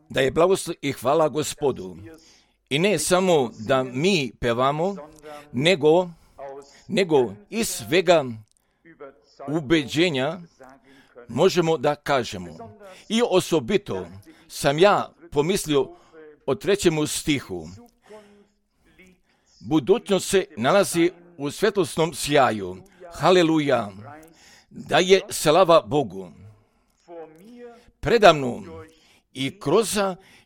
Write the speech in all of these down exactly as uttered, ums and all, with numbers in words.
Da je blagoslov i hvala Gospodu. I ne samo da mi pevamo, nego, nego iz svega ubeđenja možemo da kažemo. I osobito sam ja pomislio o trećemu stihu. Budućnost se nalazi u svjetlosnom sjaju. Haleluja! Da je slava Bogu. Predamno i kroz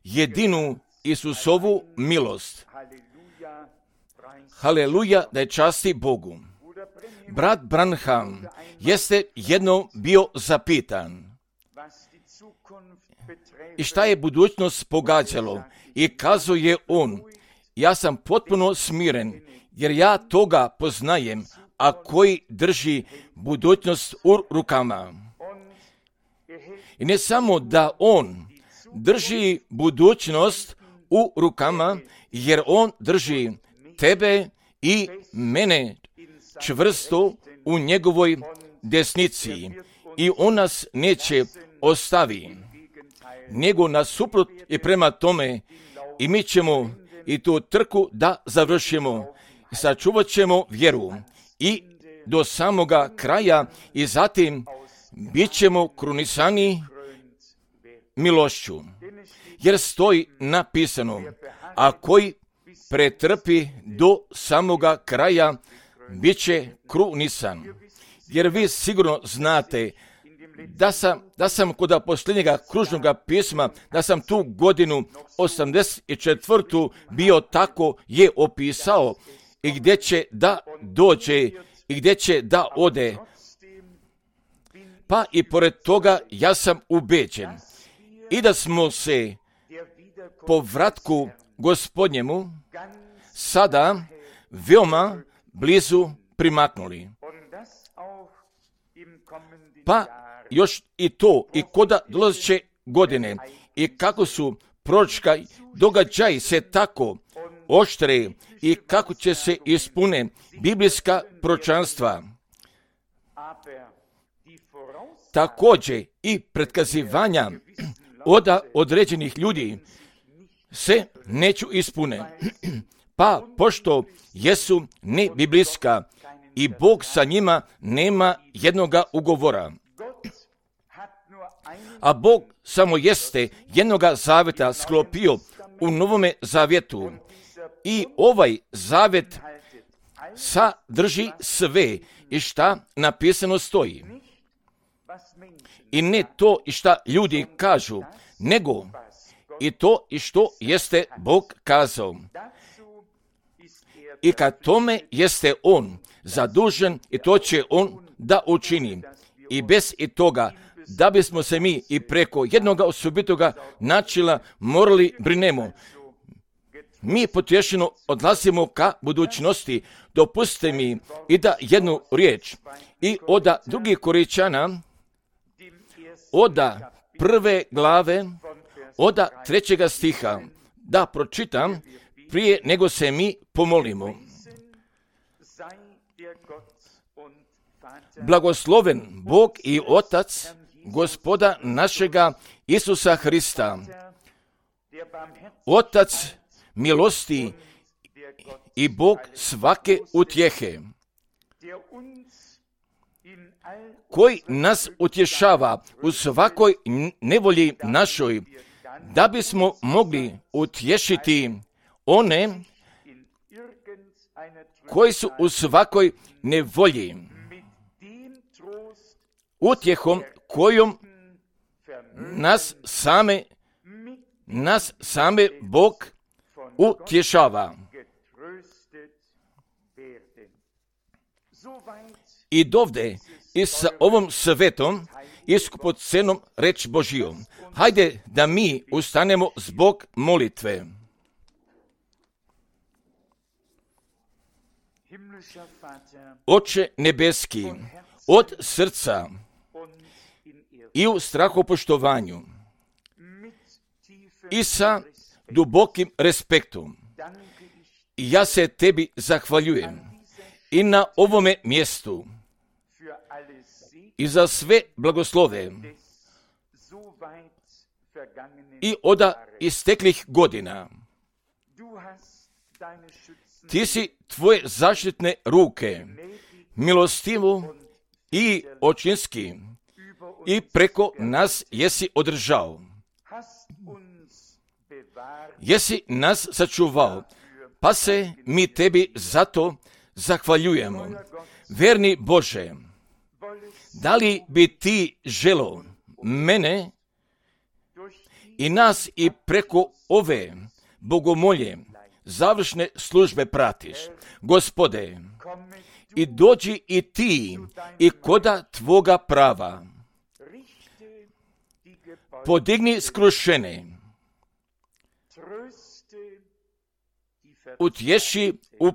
jedinu Isusovu milost. Haleluja, da je časti Bogu. Brat Branham jeste jedno bio zapitan. I šta je budućnost pogađalo? I kazao je on, ja sam potpuno smiren, jer ja toga poznajem, a koji drži budućnost u rukama. I ne samo da on drži budućnost u rukama, jer on drži tebe i mene čvrsto u njegovoj desnici i on nas neće ostavi, nego nasuprot i prema tome i mi ćemo i tu trku da završimo, sačuvat ćemo vjeru i do samoga kraja i zatim bit ćemo krunisani milošću, jer stoji napisano, a koji pretrpi do samoga kraja bit će krunisan. Jer vi sigurno znate da sam, da sam kod posljednjega kružnog pisma, da sam tu godinu osamdeset četvrtu bio tako je opisao i gdje će da dođe i gdje će da ode. Pa i pored toga ja sam ubeđen i da smo se po vratku Gospodnjemu sada veoma blizu primaknuli. Pa još i to, i koda dolazeće godine, i kako su proročka događaji se tako oštre i kako će se ispune biblijska proročanstva. Također i pretkazivanja od određenih ljudi se neću ispune. Pa pošto jesu ne biblijska i Bog sa njima nema jednoga ugovora. A Bog samo jeste jednoga zavjeta sklopio u Novome zavjetu. I ovaj zavjet sadrži sve i šta napisano stoji. I ne to i šta ljudi kažu, nego i to i što jeste Bog kazao. I kad tome jeste On zadužen i to će On da učini. I bez i toga da bismo se mi i preko jednoga osobitoga načela morali brinemo. Mi potješeno odlazimo ka budućnosti. Dopustite mi i da jednu riječ i od drugih Korinćana, od prve glave, od trećega stiha, da pročitam prije nego se mi pomolimo. Blagosloven Bog i Otac Gospoda našega Isusa Hrista, Otac milosti i Bog svake utjehe, koji nas utješava u svakoj nevolji našoj, da bismo mogli utješiti one koji su u svakoj nevolji, utjehom kojom nas same, nas same Bog utješava. I dovde i sa ovom svetom i skupocenom reč Božijom. Hajde da mi ustanemo zbog molitve. Oče nebeski, od srca i u strahopoštovanju i sa dubokim respektom ja se tebi zahvaljujem i na ovome mjestu i za sve blagoslove i oda isteklih godina. Ti si tvoje zaštitne ruke, milostivo i očinski, i preko nas jesi održao. Jesi nas sačuvao, pa se mi tebi zato zahvaljujemo. Verni Bože, da li bi ti želo mene i nas i preko ove bogomolje završne službe pratiš? Gospode, i dođi i ti i koda tvoga prava. Podigni skrušene, utješi u,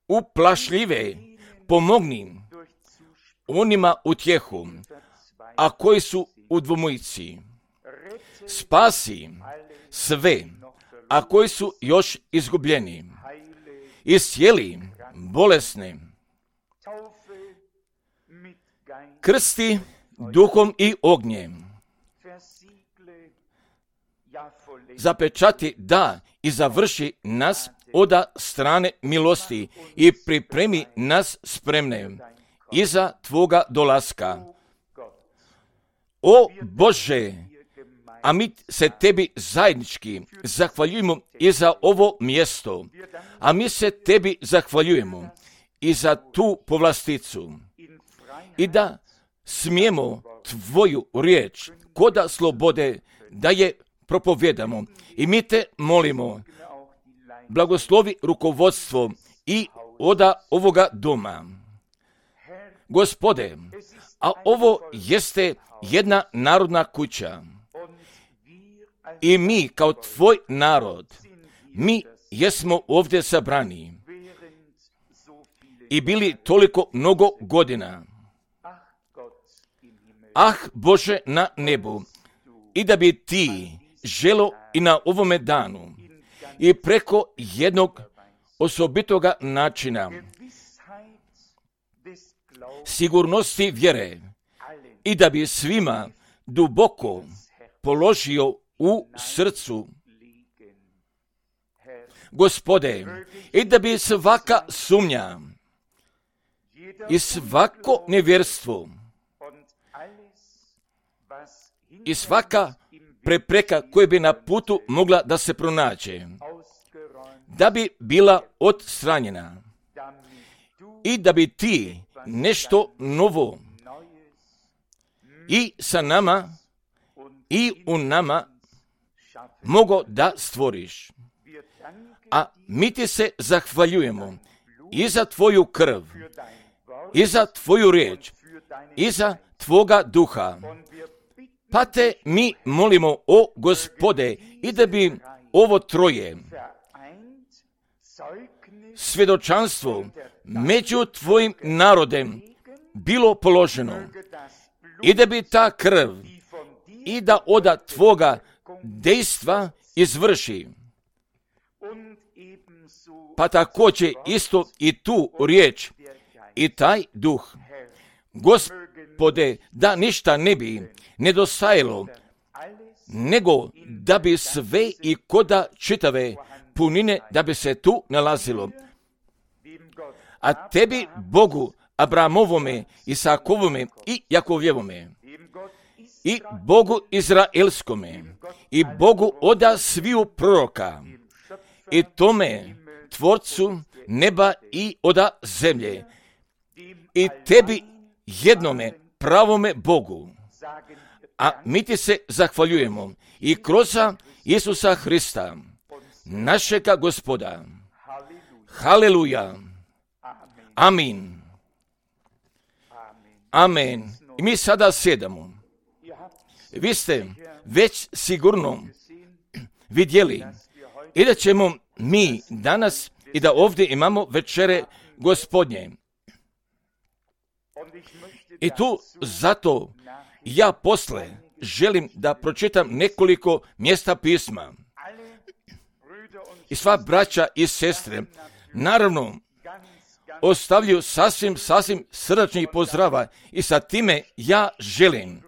uplašljive, pomogni onima utjehu, a koji su u dvojici. Spasi sve, a koji su još izgubljeni. Iscijeli bolesne. Krsti duhom i ognjem. Zapečati da i završi nas oda strane milosti i pripremi nas spremne iza tvoga dolaska. O Bože, a mi se tebi zajednički zahvaljujemo i za ovo mjesto, a mi se tebi zahvaljujemo i za tu povlasticu i da smijemo tvoju riječ koda slobode da je propovjedamo. I mi te molimo, blagoslovi rukovodstvo i oda ovoga doma. Gospode, a ovo jeste jedna narodna kuća i mi kao tvoj narod, mi jesmo ovdje sabrani i bili toliko mnogo godina. Ah, Bože na nebu, i da bi ti želo i na ovome danu i preko jednog osobitoga načina sigurnosti vjere i da bi svima duboko položio u srcu. Gospode, i da bi svaka sumnja i svako nevjerstvo i svaka prepreka koja bi na putu mogla da se pronađe, da bi bila odstranjena i da bi ti nešto novo i sa nama i u nama mogo da stvoriš. A mi ti se zahvaljujemo i za tvoju krv, i za tvoju riječ, i za tvoga duha. Pa te mi molimo, o Gospode, i da bi ovo troje svjedočanstvo među tvojim narodem bilo položeno i da bi ta krv i da oda tvoga dejstva izvrši. Pa također isto i tu riječ i taj duh. Gospode, da ništa ne bi nedostajalo, nego da bi sve i koda čitave punine da bi se tu nalazilo. A tebi, Bogu Abrahamovome, Isakovome i Jakovljevome, i Bogu Izraelskome, i Bogu oda sviju proroka, i tome Tvorcu neba i oda zemlje, i tebi jednome pravome Bogu. A mi ti se zahvaljujemo i kroz Isusa Hrista, našega Gospoda. Haleluja. Amin. Amen. I mi sada sjedamo. Vi ste već sigurno vidjeli i da ćemo mi danas i da ovdje imamo večere Gospodnje. I tu zato ja posle želim da pročitam nekoliko mjesta pisma. I sva braća i sestre, naravno, ostavljaju sasvim, sasvim srdačnih pozdrava i sa time ja želim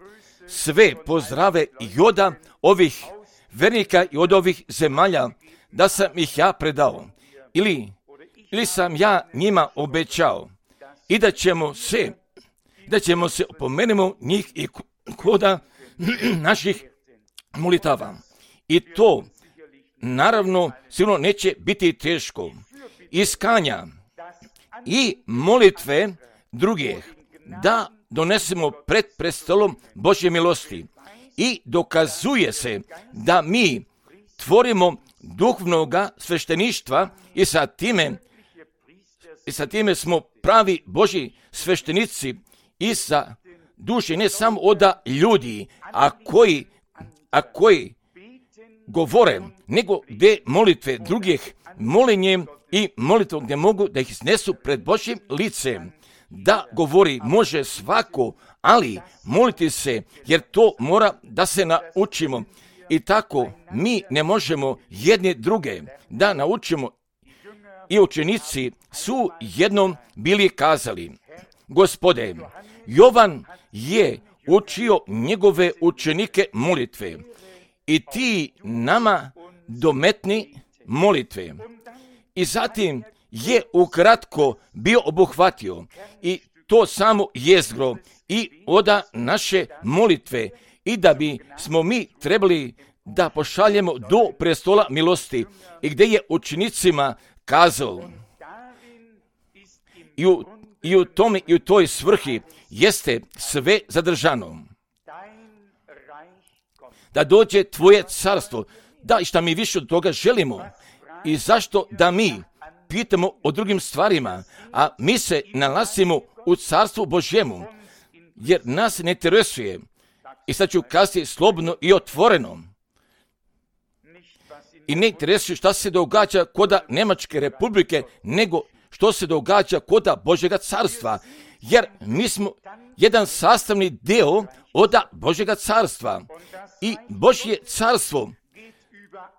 sve pozdrave i od ovih vernika i od ovih zemalja, da sam ih ja predao. Ili, ili sam ja njima obećao i da ćemo se, da ćemo se opomenemo njih i koda naših molitava. I to, naravno, sigurno neće biti teško. Iskanja i molitve drugih da donesemo pred prestolom Božje milosti i dokazuje se da mi tvorimo duhovnoga svešteništva i sa time i sa time smo pravi Božji sveštenici i sa duše, ne samo od ljudi, a koji, a koji govore, nego gdje molitve drugih molenjem i molitvom gdje mogu da ih iznesu pred Božjim licem. Da govori može svako, ali moliti se, jer to mora da se naučimo. I tako mi ne možemo jedne druge da naučimo. I učenici su jednom bili kazali: Gospode, Jovan je učio njegove učenike molitve i ti nama dometni molitve. I zatim je ukratko bio obuhvatio i to samo jezgro i oda naše molitve i da bi smo mi trebali da pošaljemo do prestola milosti i gdje je učenicima kazao i u, i u tome i u toj svrhi jeste sve zadržano. Da dođe tvoje carstvo, da i šta mi više od toga želimo i zašto da mi pitamo o drugim stvarima, a mi se nalazimo u carstvu Božjemu, jer nas ne interesuje. I sad ću kazati slobodno i otvoreno. I ne interesuje šta se događa koda Nemačke republike, nego što se događa koda Božjega carstva, jer mi smo jedan sastavni deo od Božjega carstva. I Božje carstvo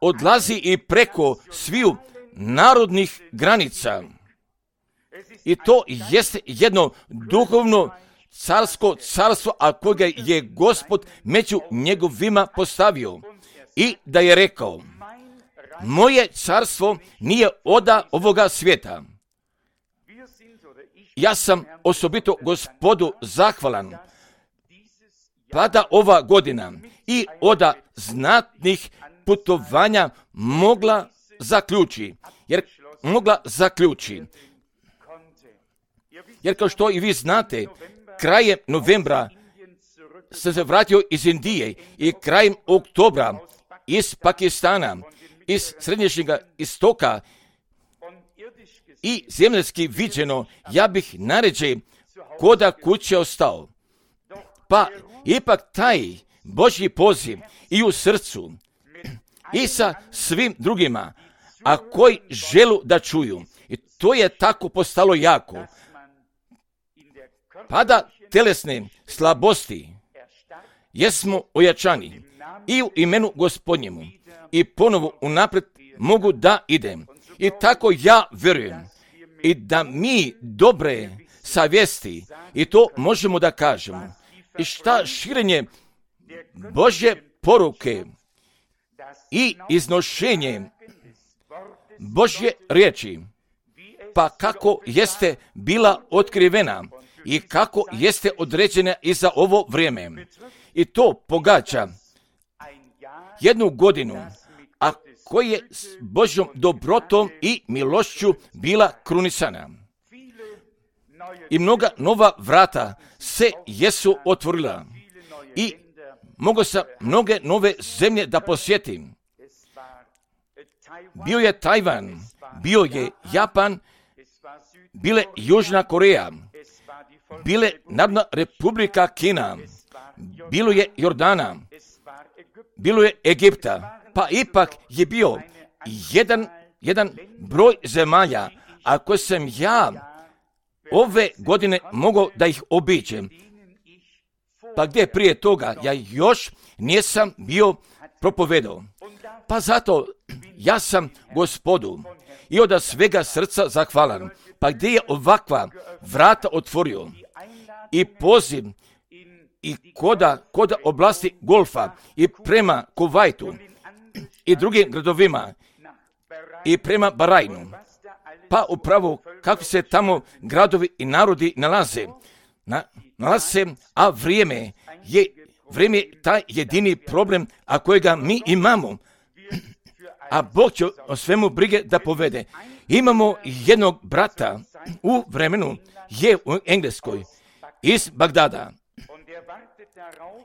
odlazi i preko sviju narodnih granica. I to jeste jedno duhovno carsko carstvo, a koga je Gospod među njegovima postavio. I da je rekao: moje carstvo nije oda ovoga svijeta. Ja sam osobito Gospodu zahvalan, pa da ova godina i oda znatnih putovanja mogla zaključi, jer mogla zaključi. Jer kao što i vi znate, krajem novembra sam se vratio iz Indije i krajem oktobra iz Pakistana, iz srednješnjega istoka i zemljski viđeno, ja bih naređe koda kuće ostao. Pa ipak taj Božji poziv i u srcu i sa svim drugima, a koji želu da čuju. I to je tako postalo jako. Pada telesne slabosti, jesmo ojačani i u imenu Gospodnjemu i ponovo unaprijed mogu da idem. I tako ja vjerujem i da mi dobre savjesti i to možemo da kažemo. I šta širenje Božje poruke i iznošenje Božje riječi, pa kako jeste bila otkrivena i kako jeste određena i za ovo vrijeme. I to pogađa jednu godinu, a koja je s Božjom dobrotom i milošću bila krunisana. I mnoga nova vrata se jesu otvorila i mogu sam mnoge nove zemlje da posjetim. Bio je Tajvan, bio je Japan, bile Južna Koreja, bile Narodna Republika Kina, bilo je Jordana, bilo je Egipta, pa ipak je bio jedan, jedan broj zemalja, ako sam ja ove godine mogao da ih obiđem. Pa gdje prije toga ja još nisam bio propovedao. Pa zato ja sam Gospodu i od svega srca zahvalan. Pa gdje je ovakva vrata otvorio i poziv i koda, koda oblasti Golfa i prema Kuvajtu i drugim gradovima i prema Barajnu. Pa upravo kakvi se tamo gradovi i narodi nalaze. Na, nalaze se, a vrijeme je, vrijeme je taj jedini problem, a kojega mi imamo. A Bog će o svemu brige da povede. Imamo jednog brata u vremenu, je u Engleskoj, iz Bagdada.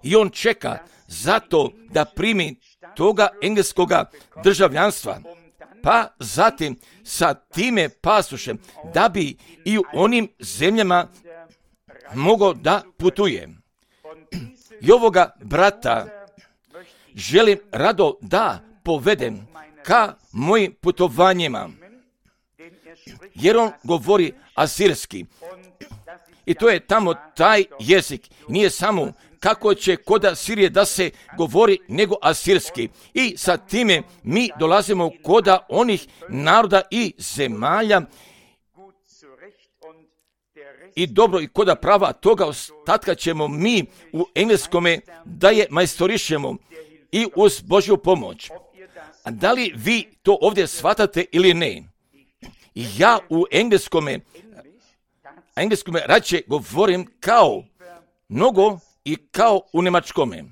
I on čeka zato da primi toga engleskoga državljanstva. Pa zatim sa time pasošem da bi i u onim zemljama mogao da putuje. I ovoga brata želim rado da povedem ka mojim putovanjima, jer on govori asirski. I to je tamo taj jezik. Nije samo kako će kod Asirije da se govori, nego asirski. I sa time mi dolazimo kod onih naroda i zemalja i dobro i koda prava toga ostatka ćemo mi u engleskome da je majstorišemo i uz Božju pomoć. A da li vi to ovdje shvatate ili ne? Ja u engleskome, engleskome rađe govorim kao mnogo i kao u njemačkome.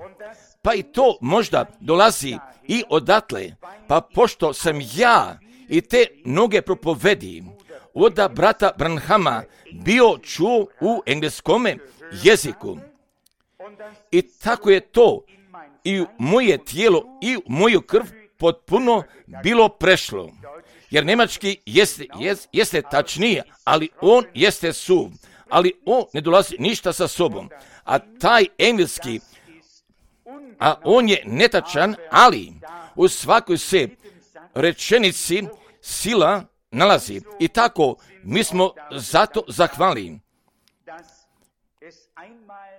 Pa i to možda dolazi i odatle, pa pošto sam ja i te mnoge propovedi od brata Branhama bio čuo u engleskome jeziku. I tako je to i u moje tijelo i u moju krv potpuno bilo prešlo. Jer njemački jeste, jeste, jeste tačnije, ali on jeste suv. Ali on ne dolazi ništa sa sobom. A taj engleski, a on je netačan, ali u svakoj se rečenici sila nalazi. I tako mi smo zato zahvali.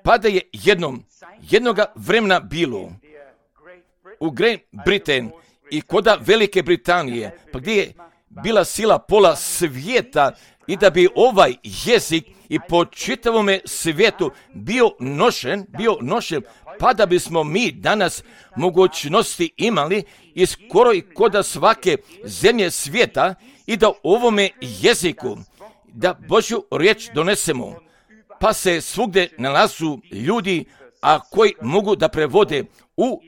Pa da je jednom, jednoga vremena bilo u Great Britain i koda Velike Britanije, pa gdje je bila sila pola svijeta i da bi ovaj jezik i po čitavome svijetu bio nošen, bio nošen, pa da bismo mi danas mogućnosti imali i skoro i koda svake zemlje svijeta i da ovome jeziku, da Božju riječ donesemo, pa se svugdje nalazu ljudi, a koji mogu da prevode u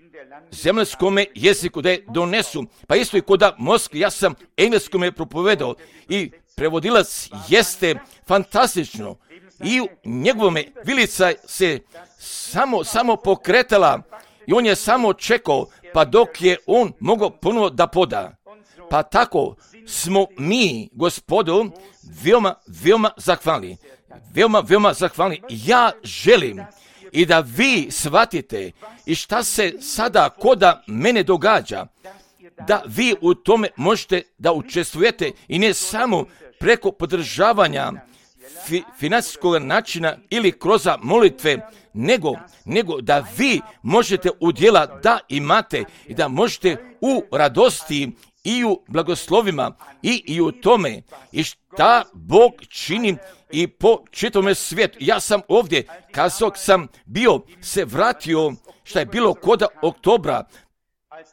zemljskome jeziku, da je donesu. Pa isto i koda Moskvi, ja sam engleskome propovedao i prevodilac jeste fantastično i u njegovome vilica se samo, samo pokretala i on je samo čekao, pa dok je on mogao ponovo da poda. Pa tako smo mi, Gospodu, veoma, veoma zahvalni. Veoma, veoma zahvalni. Ja želim i da vi shvatite i šta se sada koda mene događa, da vi u tome možete da učestvujete i ne samo preko podržavanja fi, financijskog načina ili kroz molitve, nego, nego da vi možete udjela da imate i da možete u radosti i u blagoslovima i, i u tome i šta Bog čini i po čitavome svijetu. Ja sam ovdje, kazao sam bio, se vratio šta je bilo koda oktobra,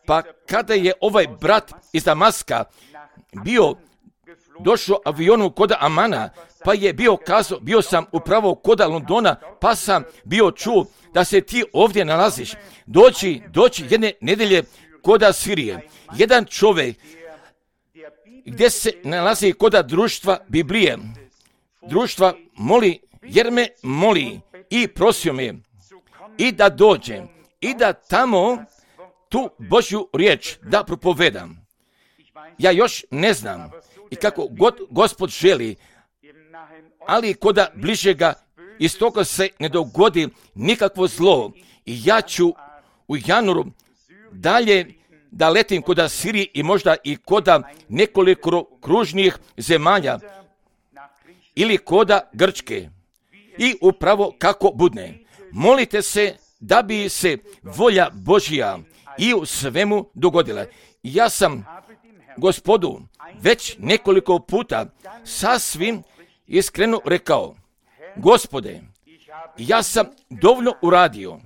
pa kada je ovaj brat iz Damaska bio došao avionu koda Amana, pa je bio kazao, bio sam upravo koda Londona, pa sam bio čuo da se ti ovdje nalaziš. Doći, doći jedne nedelje koda Sirije. Jedan čovjek gdje se nalazi koda društva Biblije. Društva moli, jer me moli i prosio me i da dođe i da tamo tu Božju riječ da propovedam. Ja još ne znam i kako god Gospod želi, ali koda bližega iz toga se ne dogodi nikakvo zlo i ja ću u januaru dalje da letim koda Sirije i možda i koda nekoliko kružnih zemalja ili koda Grčke. I upravo kako budne. Molite se da bi se volja Božja i u svemu dogodila. Ja sam Gospodu već nekoliko puta sasvim iskreno rekao, Gospode, ja sam dovoljno uradio.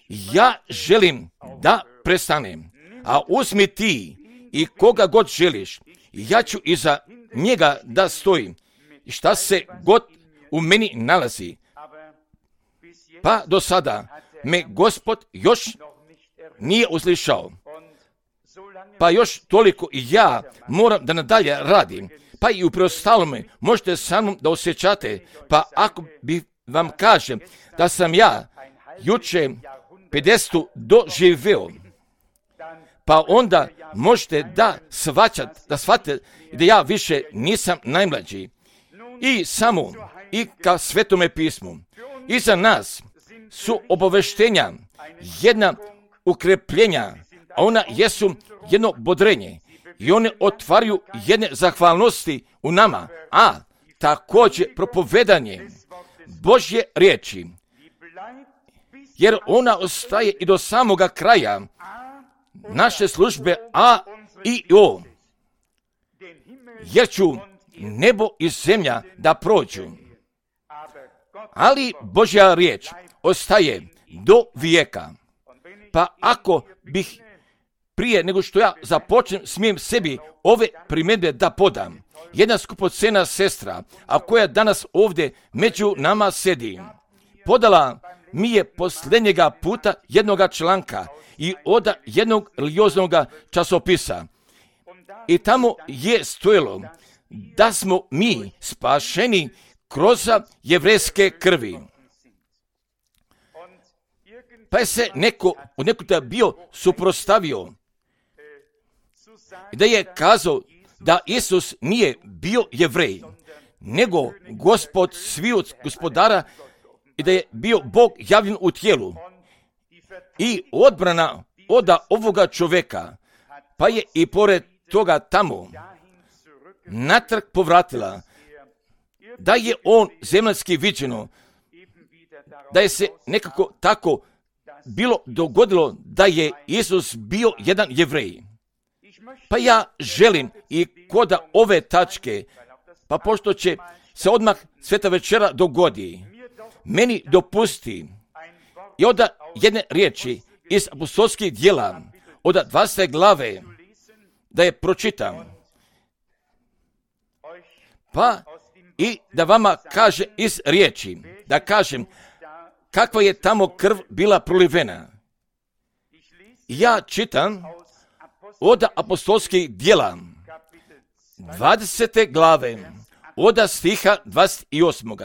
Ja želim da prestanem. A uzmi ti i koga god želiš. Ja ću iza njega da stojim. I šta se god u meni nalazi. Pa do sada me Gospod još nije uslišao. Pa još toliko i ja moram da nadalje radim. Pa i u preostalome možete sa mnom da osjećate. Pa ako bi vam kažem da sam ja juče pedesetu doživeo, pa onda možete da shvaćate, da shvatite da ja više nisam najmlađi. I samo i ka Svetome pismu. I za nas su obaveštenja jedna ukrepljenja, a ona jesu jedno bodrenje. I one otvaraju jedne zahvalnosti u nama, a također propovedanje Božje riječi. Jer ona ostaje i do samoga kraja naše službe A i O. Jer ću nebo i zemlja da prođu. Ali Božja riječ ostaje do vijeka. Pa ako bih prije nego što ja započnem, smijem sebi ove primjedbe da podam. Jedna skupocena sestra, a koja danas ovdje među nama sedi, podala mi je posljednjega puta jednoga članka i od jednog religioznog časopisa. I tamo je stojilo da smo mi spašeni kroz jevrejske krvi. Pa je se neko od nekuda bio suprostavio i da je kazao da Isus nije bio Jevrej, nego Gospod sviju gospodara i da je bio Bog javljen u tijelu. I odbrana od ovoga čovjeka, pa je i pored toga tamo natrag povratila da je on zemaljski viđeno, da je se nekako tako bilo dogodilo da je Isus bio jedan Jevrej. Pa ja želim i kod ove tačke, pa pošto će se odmah sveta večera dogodi, meni dopusti i od jedne riječi iz apostolskih djela, od dvadesete glave, da je pročitam. Pa i da vama kaže iz riječi, da kažem kakva je tamo krv bila prolivena. Ja čitam od apostolskih djela, dvadesete glave, od stiha dvadeset osmog.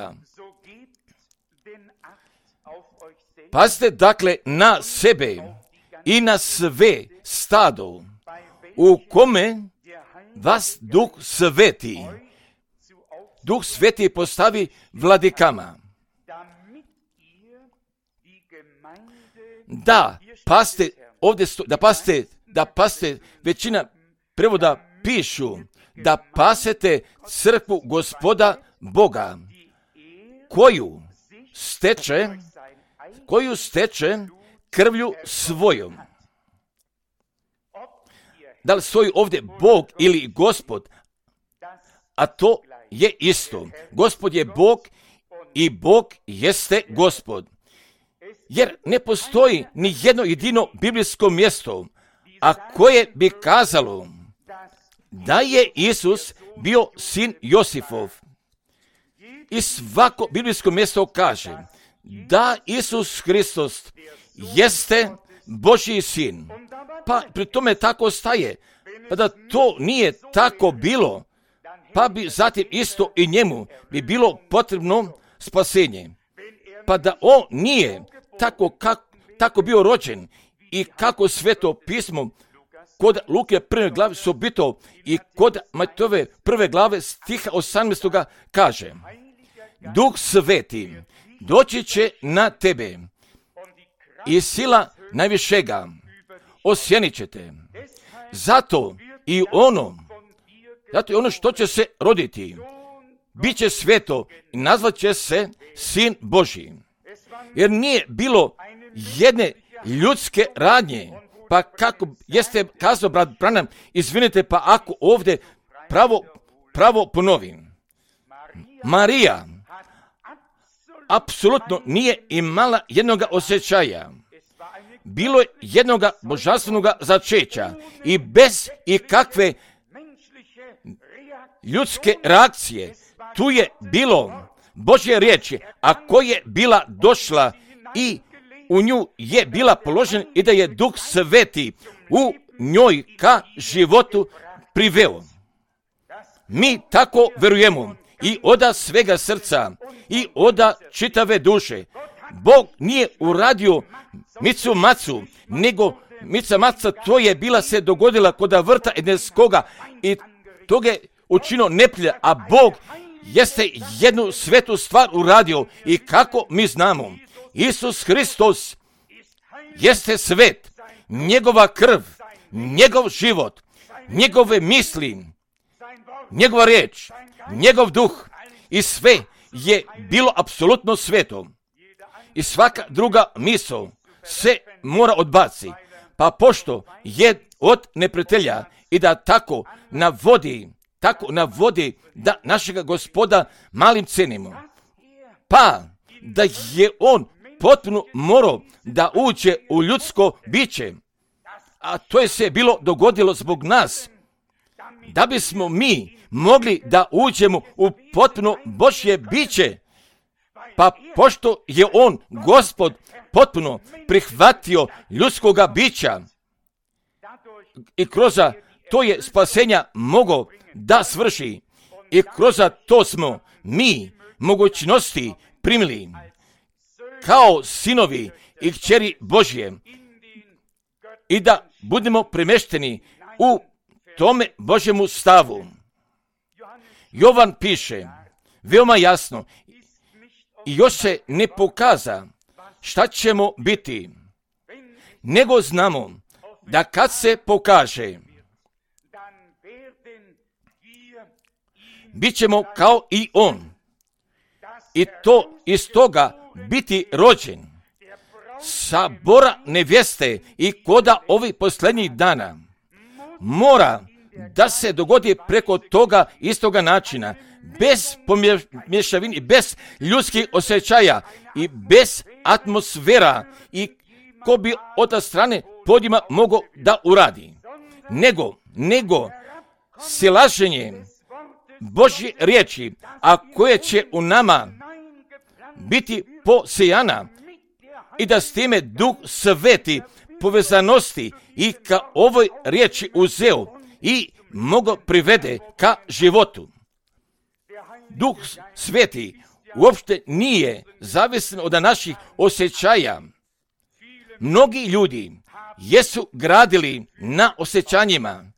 Pazite dakle na sebe i na sve stado, u kome vas Duh Sveti, Duh Sveti postavi vladikama. Da, paste, ovdje sto, da paste, da paste, većina prevoda pišu, da pasete crkvu Gospoda Boga, koju steče, koju steče krvlju svojom. Da li stoji ovdje Bog ili Gospod, a to je isto. Gospod je Bog i Bog jeste Gospod. Jer ne postoji ni jedno jedino biblijsko mjesto, a koje bi kazalo da je Isus bio sin Josifov. I svako biblijsko mjesto kaže da Isus Hristos jeste Božji sin. Pa pri tome tako staje. Pa da to nije tako bilo, pa bi zatim isto i njemu bi bilo potrebno spasenje. Pa da on nije tako, kak, tako bio rođen i kako Sveto pismo kod Luke prve glave sobito i kod Matejove prve glave stiha osamnaestog kaže: Duh Sveti doći će na tebe i sila najvišega osjenit će te. Zato i ono, zato i ono što će se roditi, bit će sveto i nazvat će se Sin Božji. Jer nije bilo jedne ljudske radnje, pa kako jeste kazao brat Branham, izvinite, pa ako ovdje pravo, pravo ponovim. Marija apsolutno nije imala jednoga osjećaja. Bilo je jednoga božanstvenoga začeća i bez ikakve ljudske reakcije. Tu je bilo Božje riječi, a koja je bila došla i u nju je bila položen i da je Duh Sveti u njoj ka životu priveo. Mi tako verujemo i oda svega srca i oda čitave duše. Bog nije uradio micu macu, nego mica maca to je bila se dogodila kod vrta Edenskoga i to je učinio neprijatelj, a Bog jeste jednu svetu stvar uradio i kako mi znamo, Isus Hristos jeste svet, njegova krv, njegov život, njegove misli, njegova riječ, njegov duh i sve je bilo apsolutno sveto. I svaka druga misao se mora odbaci, pa pošto je od neprijatelja i da tako navodi, tako navodi da našega Gospoda malim cenimo, pa da je on potpuno morao da uđe u ljudsko biće, a to je se bilo dogodilo zbog nas, da bismo mi mogli da uđemo u potpuno Božje biće, pa pošto je on, Gospod, potpuno prihvatio ljudskoga bića i kroz to je spasenja mogao da svrši i kroz to smo mi mogućnosti primili kao sinovi i kćeri Božje i da budemo premešteni u tome Božjemu stavu. Jovan piše veoma jasno i još se ne pokaza šta ćemo biti, nego znamo da kad se pokaže, bit ćemo kao i on. I to iz toga biti rođen. Sabora nevjeste i koda ovih posljednjih dana mora da se dogodi preko toga istoga načina, bez pomješavine, bez ljudskih osjećaja i bez atmosfera i ko bi od ta strane podima mogao da uradi. Nego, nego silaženje Božje riječi, a koje će u nama biti posejana i da s time Duh Sveti povezanosti i ka ovoj riječi uzeo i mogo privede ka životu. Duh Sveti uopšte nije zavisan od naših osjećaja. Mnogi ljudi jesu gradili na osjećanjima,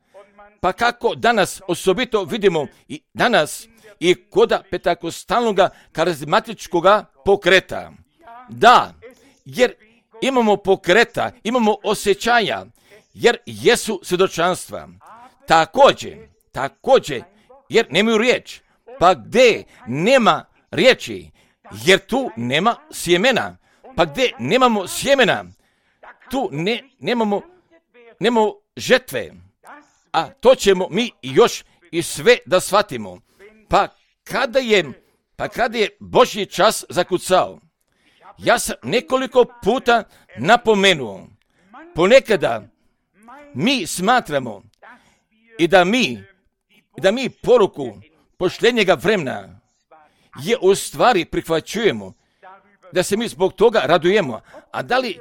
pa kako danas osobito vidimo i danas i koda pentakostalnog karizmatičkog pokreta. Da, jer imamo pokreta, imamo osjećanja, jer jesu svjedočanstva. Također, također, jer nemaju riječ. Pa gdje nema riječi, jer tu nema sjemena. Pa gdje nemamo sjemena, tu ne, nemamo, nemamo žetve. A to ćemo mi još i sve da shvatimo. Pa kada je, pa kada je Božji čas zakucao, ja sam nekoliko puta napomenuo, ponekada mi smatramo i da mi, da mi poruku posljednjega vremena je u stvari prihvaćujemo, da se mi zbog toga radujemo. A da li,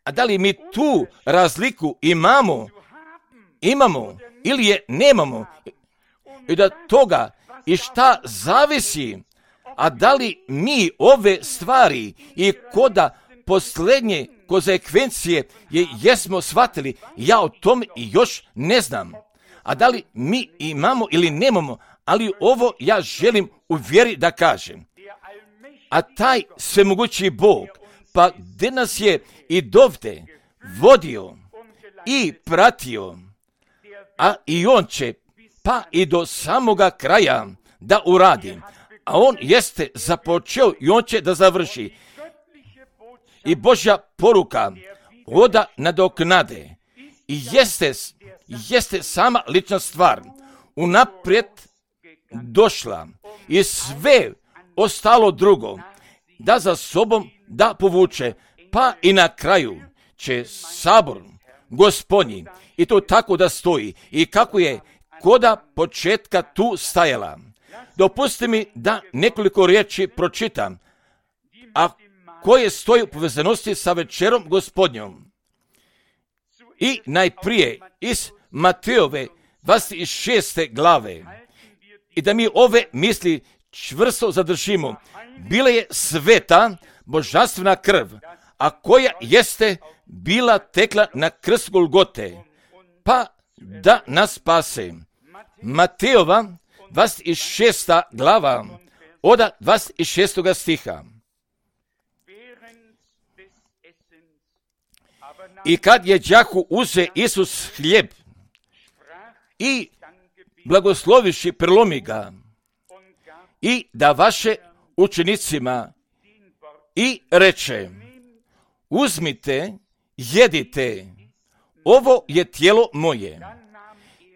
a da li mi tu razliku imamo, imamo ili je nemamo, i da toga i šta zavisi, a da li mi ove stvari i koda posljednje konsekvencije je jesmo shvatili, ja o tom još ne znam. A da li mi imamo ili nemamo, ali ovo ja želim u vjeri da kažem. A taj svemogući Bog, pa gdje nas je i dovde vodio i pratio, a i on će pa i do samoga kraja da uradi. A on jeste započeo i on će da završi. I Božja poruka oda nadoknade i jeste, jeste sama lična stvar unaprijed došla i sve ostalo drugo da za sobom da povuče, pa i na kraju će sabor Gospodnji i to tako da stoji i kako je koda početka tu stajala. Dopustite mi da nekoliko riječi pročitam, a koje stoji u povezanosti sa večerom Gospodnjom. I najprije iz Matejove dvadeset šeste glave. I da mi ove misli čvrsto zadržimo. Bila je sveta božanstvena krv, a koja jeste bila tekla na krst Golgote, pa da nas spase. Matejova dvadeset šesta glava, od dvadeset šestog stiha. I kad je đahu uze Isus hljeb i blagosloviši prelomi ga i da vaše učenicima i reče, uzmite, jedite, ovo je tijelo moje.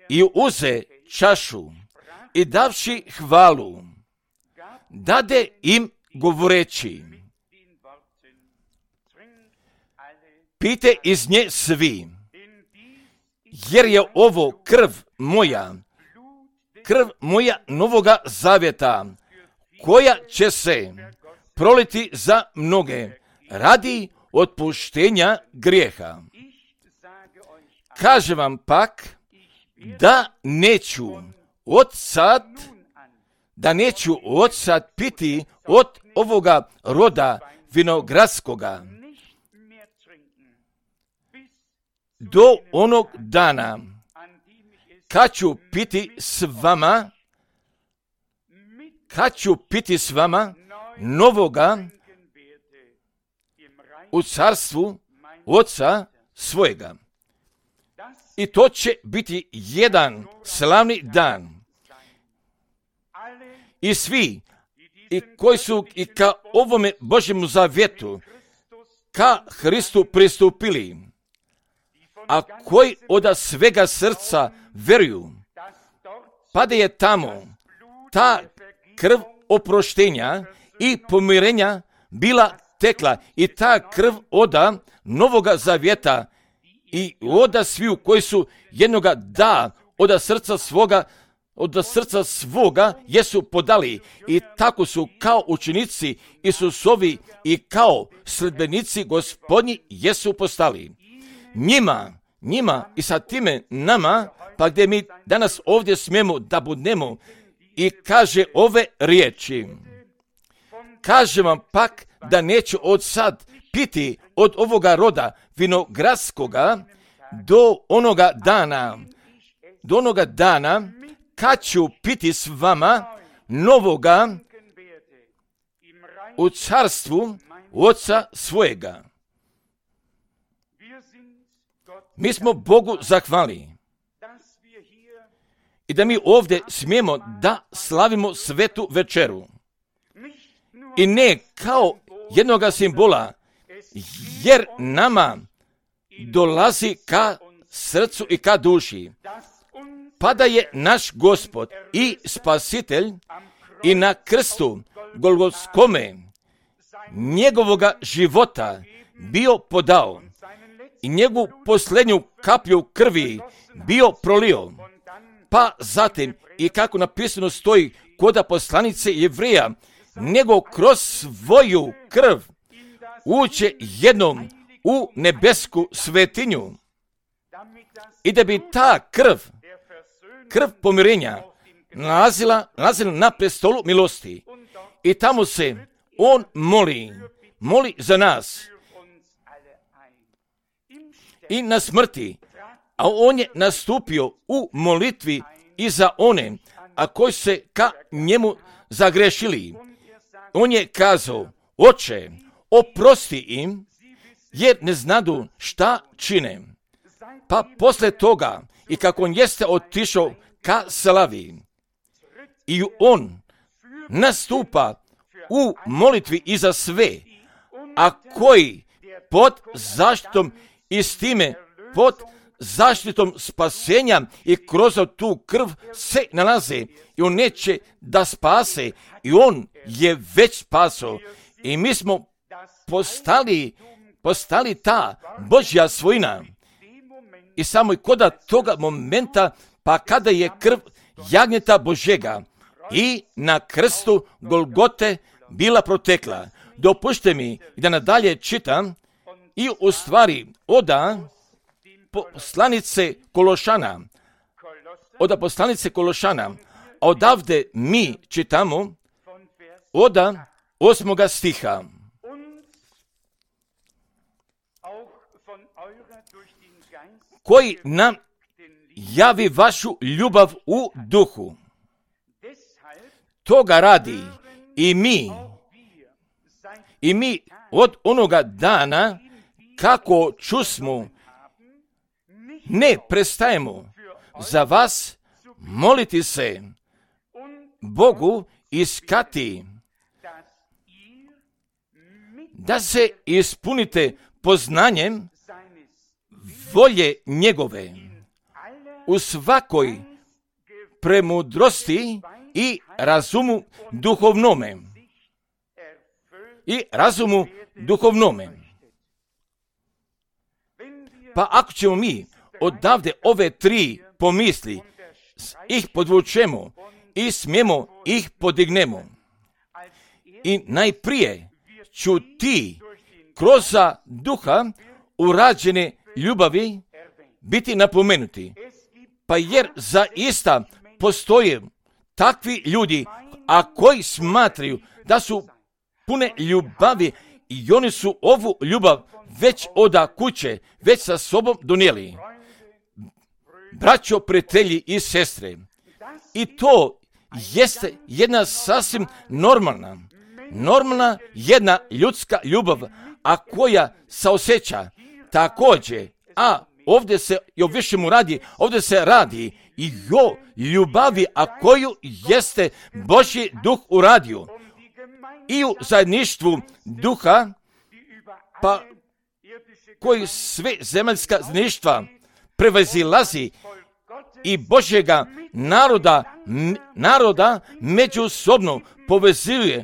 I uze čašu i davši hvalu, dade im govoreći, pijte iz nje svi, jer je ovo krv moja, krv moja novoga zavjeta, koja će se proliti za mnoge radi otpuštenja grijeha. Kažem vam pak da neću od sad, da neću od sad piti od ovoga roda vinogradskoga do onog dana kad ću piti s vama, kad ću piti s vama novoga u carstvu Oca svojega. I to će biti jedan slavni dan. I svi, i koji su i ka ovome Božjemu zavjetu, ka Hristu pristupili, a koji od svega srca veruju, pa da je tamo ta krv oproštenja i pomirenja bila tekla i ta krv oda novoga zavjeta i oda sviju koji su jednoga da oda srca svoga, od srca svoga jesu podali i tako su kao učenici Isusovi i kao sledbenici Gospodnji jesu postali. Njima, njima i sa time nama, pa gdje mi danas ovdje smijemo da budemo i kaže ove riječi. Kaže vam pak da neću od sad piti od ovoga roda vinogradskoga do onoga dana, do onoga dana kad ću piti s vama novoga u carstvu Oca svojega. Mi smo Bogu zahvali i da mi ovdje smijemo da slavimo svetu večeru. I ne kao jednoga simbola, jer nama dolazi ka srcu i ka duši. Pa da je naš Gospod i Spasitelj i na krstu Golgotskome njegovoga života bio podao i njegovu posljednju kaplju krvi bio prolio. Pa zatim, i kako napisano stoji koda poslanice Jevreja, nego kroz svoju krv uće jednom u nebesku svetinju i da bi ta krv, krv pomirenja, nalazila, nalazila na prestolu milosti i tamo se on moli, moli za nas i na smrti, a on je nastupio u molitvi i za one, a koji se ka njemu zagrešili. On je kazao, Oče, oprosti im, jer ne znadu šta čine. Pa posle toga, i kako on jeste otišao ka slavi, i on nastupa u molitvi i za sve, a koji pod zaštitom i s time pod zaštitom spasenja i kroz tu krv se nalaze i on neće da spase i on je već spaso I mi smo postali, postali ta Božja svojina. I samo i koda toga momenta, pa kada je krv jagnjeta Božjega i na krstu Golgote bila protekla. Dopušte mi da nadalje čitam i u stvari oda poslanice Kološana, oda poslanice Kološana, a odavde mi čitamo oda osmoga stiha. Koji nam javi vašu ljubav u duhu. Toga radi i mi, i mi od onoga dana kako čusmo, ne prestajemo za vas moliti se Bogu iskati da se ispunite poznanjem volje njegove u svakoj premudrosti i razumu duhovnome. I razumu duhovnome. Pa ako ćemo mi odavde ove tri pomisli ih podvučemo i smijemo ih podignemo. I najprije ću ti kroz duha urađene ljubavi biti napomenuti. Pa jer zaista postoje takvi ljudi, a koji smatraju da su pune ljubavi i oni su ovu ljubav već oda kuće, već sa sobom donijeli. Braćo, prijatelji i sestre, i to jeste jedna sasvim normalna, normalna jedna ljudska ljubav, a koja se osjeća također, a ovdje se i o višemu radi, ovdje se radi i o ljubavi, a koju jeste Božji duh uradio. I u zajedništvu duha, pa koji sve zemaljska zajedništva prevazilazi i Božjega naroda, m, naroda međusobno povezuje,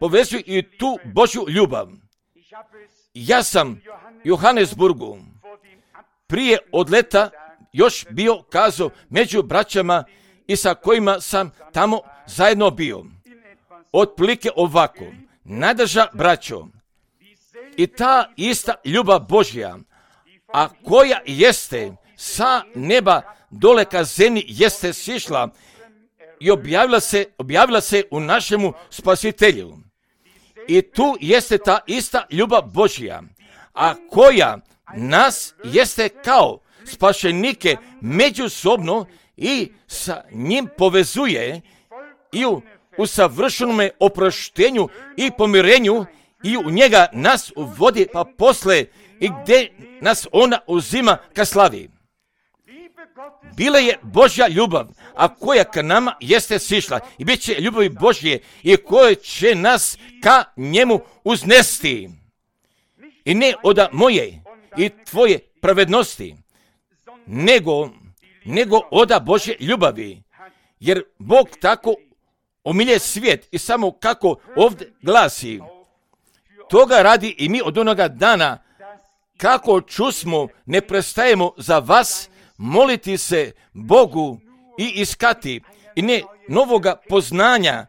povezuje i tu Božju ljubav. Ja sam Johannesburgu prije odleta još bio kazao među braćama i sa kojima sam tamo zajedno bio. Otprilike ovako, najdrža braćo, i ta ista ljubav Božja, a koja jeste sa neba dole ka zemlji jeste sišla i objavila se, objavila se u našemu spasitelju. I tu jeste ta ista ljubav Božja, a koja nas jeste kao spašenike međusobno i sa njim povezuje i u, u savršenome oproštenju i pomirenju i u njega nas uvodi pa posle i gdje nas ona uzima ka slavi. Bila je Božja ljubav, a koja ka nama jeste sišla i bit će ljubavi Božje i koja će nas ka njemu uznesti. I ne od moje i tvoje pravednosti, nego, nego od Božje ljubavi. Jer Bog tako omilje svijet i samo kako ovdje glasi, toga radi i mi od onoga dana kako čusmo ne prestajemo za vas moliti se Bogu i iskati i ne novoga poznanja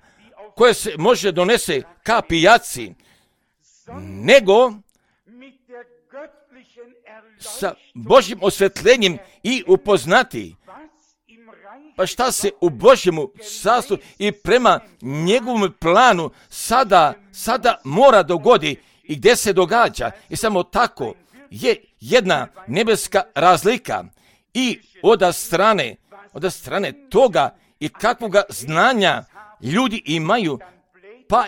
koje se može donese ka pijaci, nego sa Božjim osvetljenjem i upoznati. Pa šta se u Božjemu carstvu i prema njegovom planu sada, sada mora dogodi i gdje se događa. I samo tako je jedna nebeska razlika i od strane, od strane toga i kakvoga znanja ljudi imaju, pa,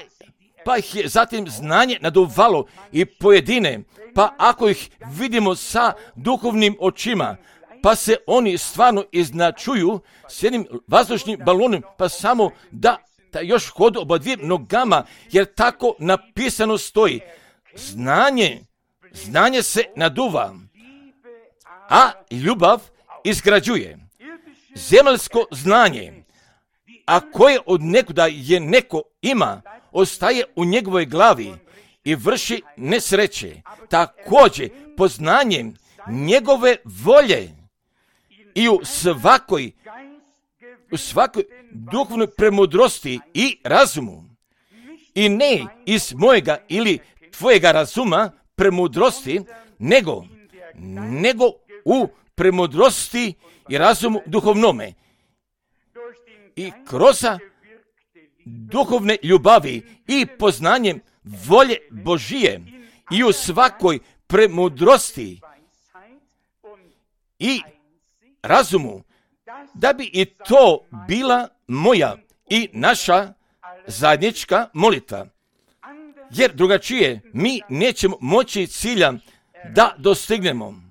pa ih je zatim znanje naduvalo i pojedine, pa ako ih vidimo sa duhovnim očima, pa se oni stvarno iznačuju s jednim vazdušnim balonom, pa samo da, da još hodu oba dvije nogama, jer tako napisano stoji. Znanje, znanje se naduva, a ljubav izgrađuje. Zemaljsko znanje, a koje od nekuda je neko ima, ostaje u njegovoj glavi i vrši nesreće, također poznanjem njegove volje i u svakoj, u svakoj duhovnoj premudrosti i razumu. I ne iz mojega ili tvojega razuma premudrosti, nego, nego u premudrosti i razumu duhovnome. I kroz duhovne ljubavi i poznanjem volje Božije i u svakoj premudrosti i razumu, da bi i to bila moja i naša zajednička molitva. Jer drugačije mi nećemo moći cilja da dostignemo.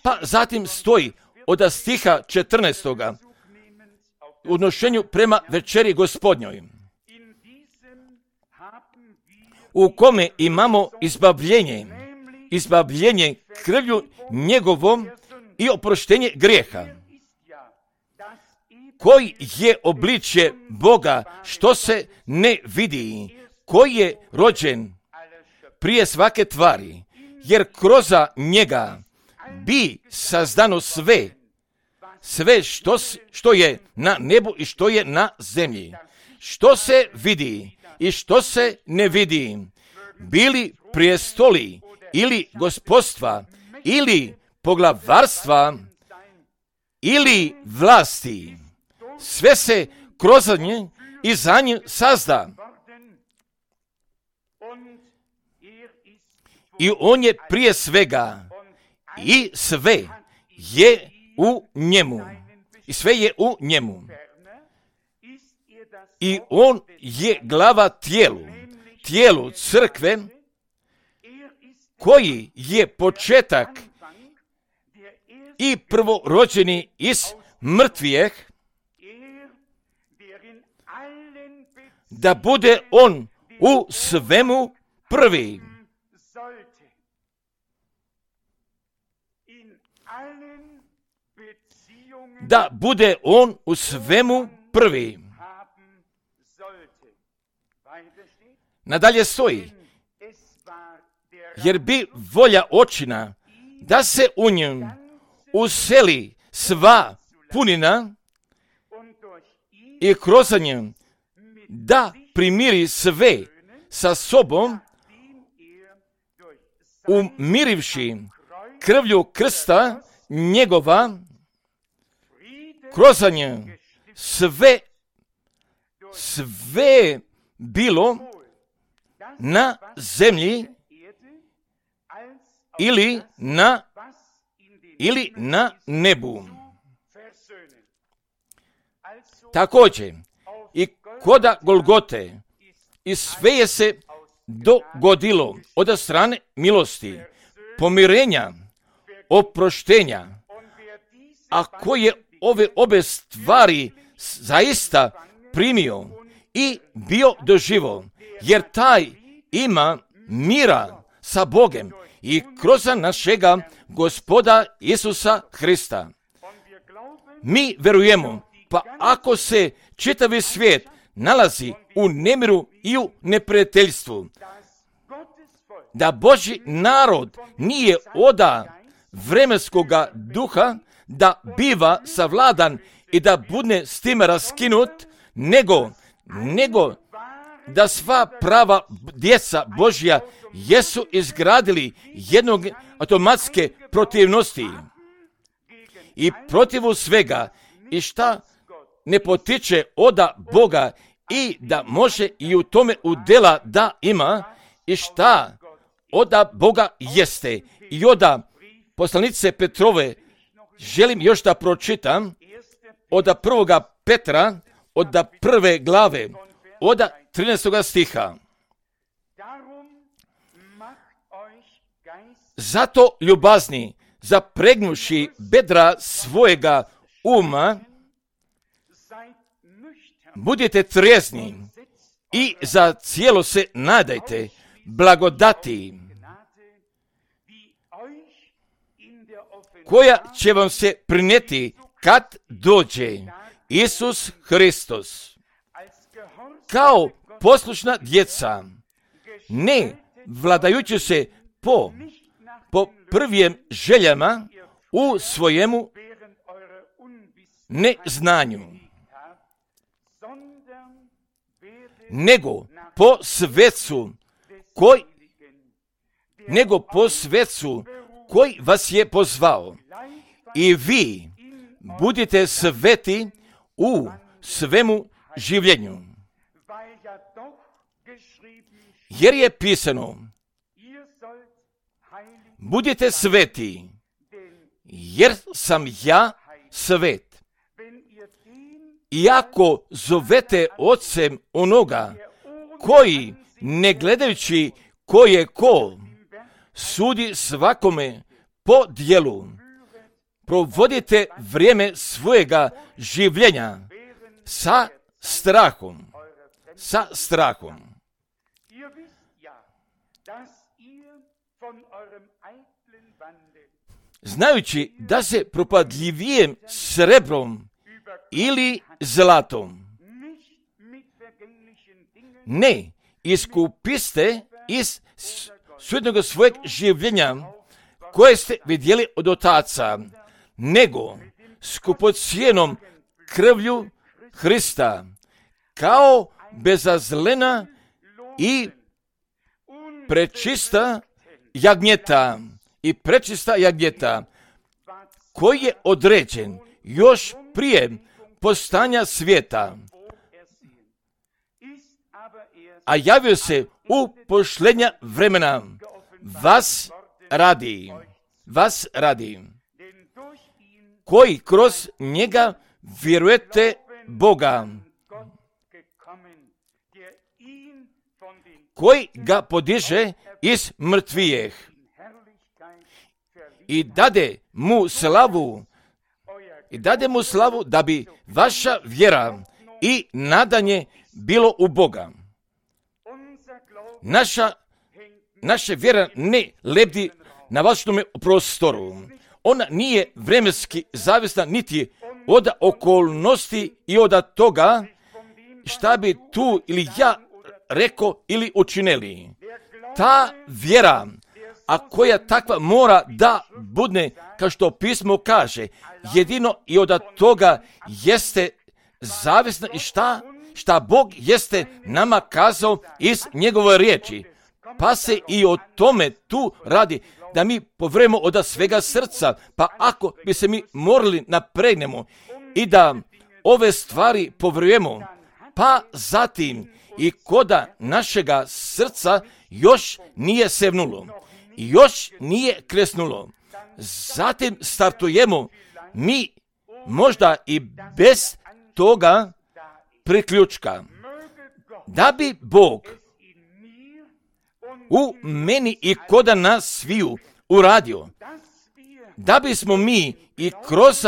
Pa zatim stoji od stiha četrnaestoga u odnošenju prema večeri Gospodnjoj, u kome imamo izbavljenje, izbavljenje krvlju njegovom i oproštenje grijeha, koji je obličje Boga što se ne vidi, koji je rođen prije svake tvari, jer kroz njega bi sazdano sve, sve što, što je na nebu i što je na zemlji, što se vidi i što se ne vidi, bili prijestoli ili gospodstva ili poglavarstva ili vlasti. Sve se kroz nje i za nje sazda. I on je prije svega i sve je u njemu. I sve je u njemu. I on je glava tijelu, tijelu crkve, koji je početak i prvorođeni iz mrtvijeh, da bude on u svemu prvi. Da bude on u svemu prvi. Nadalje stoji, jer bi volja očina da se u njim useli sva punina i kroz njim da primiri sve sa sobom, umirivši krvlju krsta njegova, kroz njim sve, sve bilo na zemlji ili na, ili na nebu. Također, i koda Golgote, i sve je se dogodilo od strane milosti, pomirenja, oproštenja, a ko je ove obe stvari zaista primio i bio doživo, jer taj ima mira sa Bogem i kroz našega Gospoda Isusa Hrista. Mi verujemo, pa ako se čitavi svijet nalazi u nemiru i u neprijateljstvu, da Božji narod nije oda vremenskoga duha da biva savladan i da bude s tim raskinut, nego, nego da sva prava djeca Božja jesu izgradili jednog automatske protivnosti i protivu svega i šta ne potiče oda Boga i da može i u tome udjela da ima i šta oda Boga jeste. I oda poslanice Petrove želim još da pročitam od prvoga Petra, od prve glave, od trinaestoga stiha. Zato ljubazni, zapregnuši bedra svojega uma, budite trijezni i za cijelo se nadajte blagodati, koja će vam se prinijeti kad dođe Isus Hristos. Kao poslušna djeca, ne vladajući se po, po prvijem željama u svojemu neznanju, nego po svecu koji, nego po svecu koji vas je pozvao. I vi budite sveti u svemu življenju. Jer je pisano, budite sveti, jer sam ja svet. Iako zovete ocem onoga koji, ne gledajući ko je ko, sudi svakome po djelu, provodite vrijeme svojega življenja sa strahom, sa strahom. Znajući da se propadljivijem srebrom ili zlatom ne iskupiste iz sudnog svojeg življenja koje ste vidjeli od otaca, nego skupocijenom krvlju Hrista, kao bezazlena i prečista jagnjeta i prečista jagnjeta, koji je određen još prije postanja svijeta, a javio se u posljednja vremena vas radi, vas radi, koji kroz njega vjerujete Boga, koji ga podiže iz mrtvijeh i dade mu slavu, i dade mu slavu da bi vaša vjera i nadanje bilo u Boga. Naša, naša vjera ne lebdi na vašem prostoru. Ona nije vremenski zavisna niti od okolnosti i od toga šta bi tu ili ja rekao ili učinili. Ta vjera, a koja takva mora da bude, kao što pismo kaže, jedino i od toga jeste zavisna i šta, šta Bog jeste nama kazao iz njegove riječi. Pa se i o tome tu radi, da mi povremo od svega srca, pa ako bi se mi morali napregnemo i da ove stvari povrujemo, pa zatim i koda našega srca još nije sevnulo, još nije kresnulo, zatim startujemo mi možda i bez toga priključka, da bi Bog u meni i koda nas sviju uradio, da bismo mi i kroz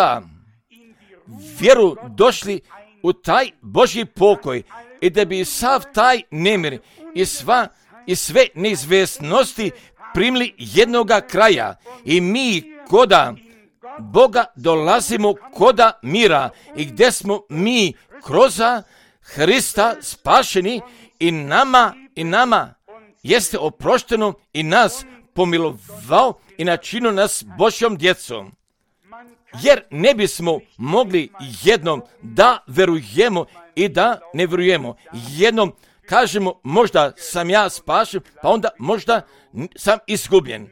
vjeru došli u taj Božji pokoj i da bi sav taj nemir i, sva, i sve neizvjesnosti primili jednoga kraja i mi koda Boga dolazimo koda mira i gdje smo mi kroz Hrista spašeni i nama i nama jeste oprošteno i nas pomilovao i načinio nas Božjom djecom. Jer ne bismo mogli jednom da verujemo i da ne verujemo. Jednom kažemo možda sam ja spašen, pa onda možda sam izgubljen.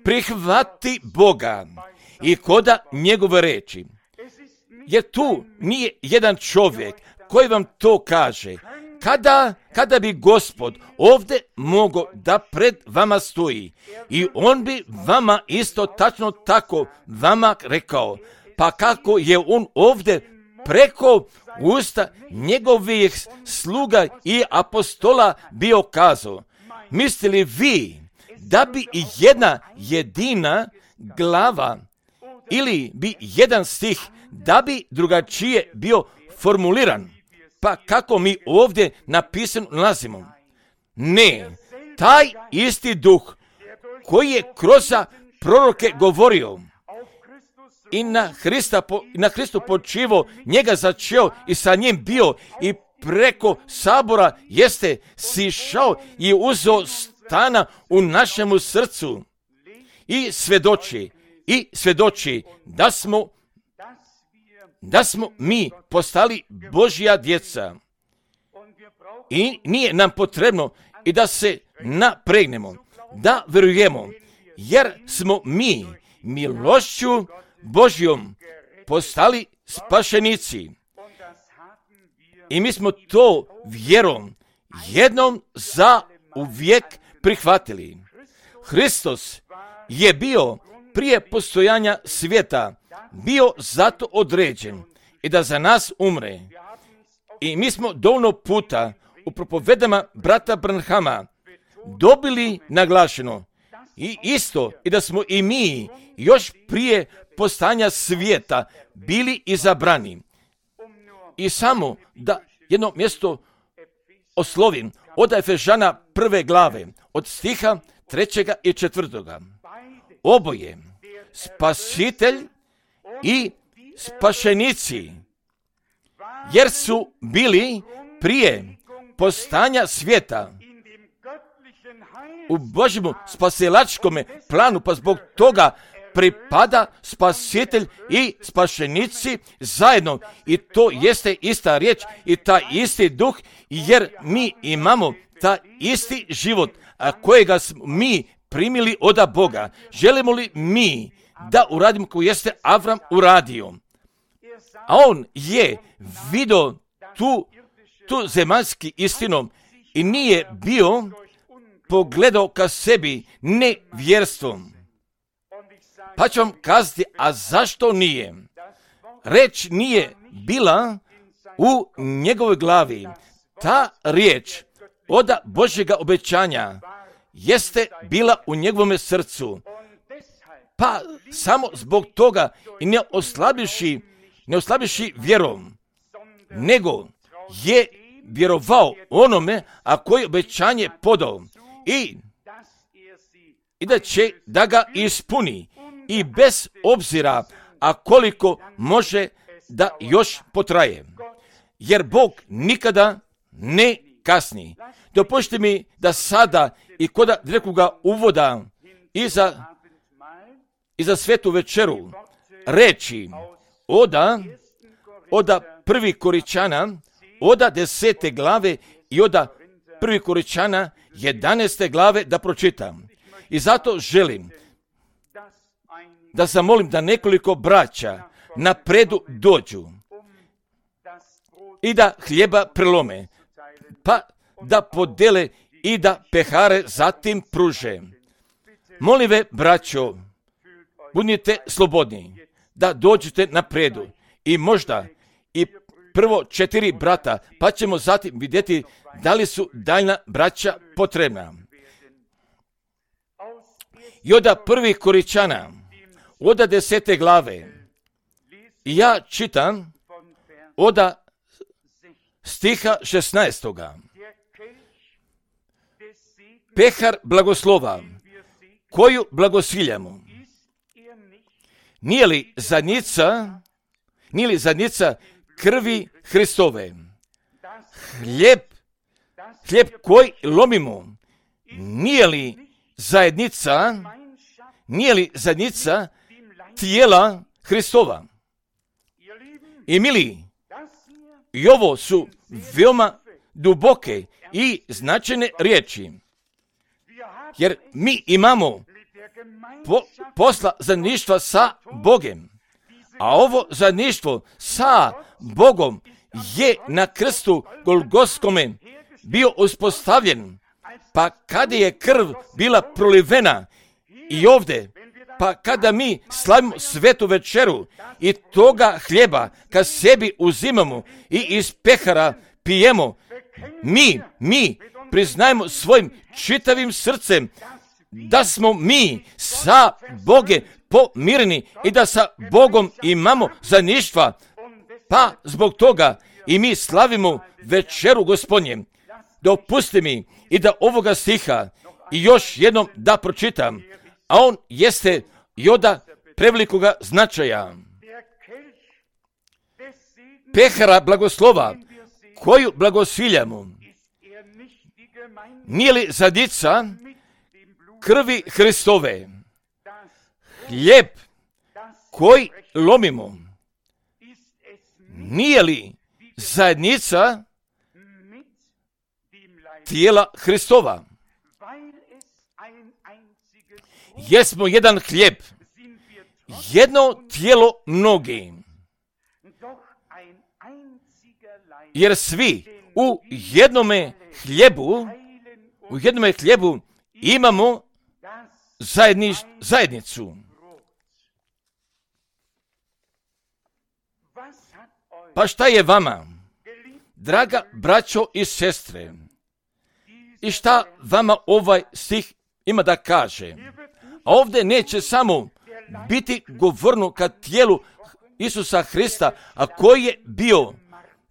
Prihvati Boga i koda njegove reči. Jer tu nije jedan čovjek koji vam to kaže. Kada, kada bi Gospod ovdje mogao da pred vama stoji i on bi vama isto tačno tako vama rekao, pa kako je on ovdje preko usta njegovih sluga i apostola bio kazao, mislili vi da bi i jedna jedina glava ili bi jedan stih da bi drugačije bio formuliran? Pa kako mi ovdje napisano nalazimo? Ne, taj isti duh koji je kroz proroke govorio i na Hrista, na Hristu počivo, njega začeo i sa njim bio i preko sabora jeste sišao i uzeo stana u našemu srcu i svjedoči, i svjedoči da smo, da smo mi postali Božja djeca. I nije nam potrebno i da se napregnemo, da vjerujemo, jer smo mi milošću Božjom postali spašenici. I mi smo to vjerom jednom za uvijek prihvatili. Hristos je bio prije postojanja svijeta, bio zato određen i da za nas umre. I mi smo dovoljno puta u propovedama brata Branhama dobili naglašeno i isto i da smo i mi još prije postojanja svijeta bili izabrani. I samo da jedno mjesto oslovim od Efežana prve glave, od stiha trećega i četvrtoga. Oboje, spasitelj i spašenici, jer su bili prije postojanja svijeta u Božjemu spasilačkom planu, pa zbog toga pripada spasitelj i spašenici zajedno. I to jeste ista riječ i taj isti duh, jer mi imamo taj isti život, a kojega smo mi primili od Boga. Želimo li mi da uradimo koji jeste Avram uradio? A on je vidio tu, tu zemaljski istinom i nije bio pogledao ka sebi nevjerstvom. Pa ću vam kazati, a zašto nije? Reč nije bila u njegovoj glavi. Ta riječ od Božjega obećanja jeste bila u njegovom srcu. Pa samo zbog toga i ne oslabiši, ne oslabiši vjerom, nego je vjerovao onome, a koji obećanje podao i, i da će da ga ispuni. I bez obzira, a koliko može da još potraje. Jer Bog nikada ne kasni. Dopustite mi da sada i kod direktnoga uvoda i za, i za svetu večeru reći oda, oda prvi Koričana, oda desete glave i oda prvi Koričana jedanaeste glave da pročitam. I zato želim da zamolim da nekoliko braća napredu dođu i da hljeba prelome, pa da podele i da pehare zatim pruže. Molim ve, braćo, budite slobodni da dođete napredu i možda i prvo četiri brata, pa ćemo zatim vidjeti da li su daljna braća potrebna. I od prvih Koričana, od desete glave, ja čitam od stiha šesnaestoga. Pehar blagoslova, koju blagosiljamo, nije li zadnjica, nije li zadnjica krvi Hristove? Hljeb, hljeb koji lomimo, nije li zajednica, nije li zadnjica tijela Hristova? I mili, i ovo su veoma duboke i značajne riječi, jer mi imamo po, posla zajedništva sa Bogom, a ovo zajedništvo sa Bogom je na krstu Golgotskome bio uspostavljen, pa kada je krv bila prolivena i ovdje, pa kada mi slavimo svetu večeru i toga hljeba kad sebi uzimamo i iz pehara pijemo, mi, mi priznajemo svojim čitavim srcem da smo mi sa Bogom pomireni i da sa Bogom imamo zajedništva, pa zbog toga i mi slavimo večeru Gospodnje. Dopusti mi i da ovoga stiha i još jednom da pročitam, a on jeste i od prevelikoga značaja. Pehara blagoslova, koju blagosiljamo, nije li zadnjica krvi Hristove. Hljeb koji lomimo, nije li zajednica tijela Hristova? Jesmo jedan hljeb, jedno tijelo mnogi, jer svi u jednome hljebu, u jednome hljebu imamo zajedniš, zajednicu. Pa šta je vama, draga braćo i sestre, i šta vama ovaj stih ima da kaže? A ovdje neće samo biti govorno kad tijelu Isusa Hrista, a koji je bio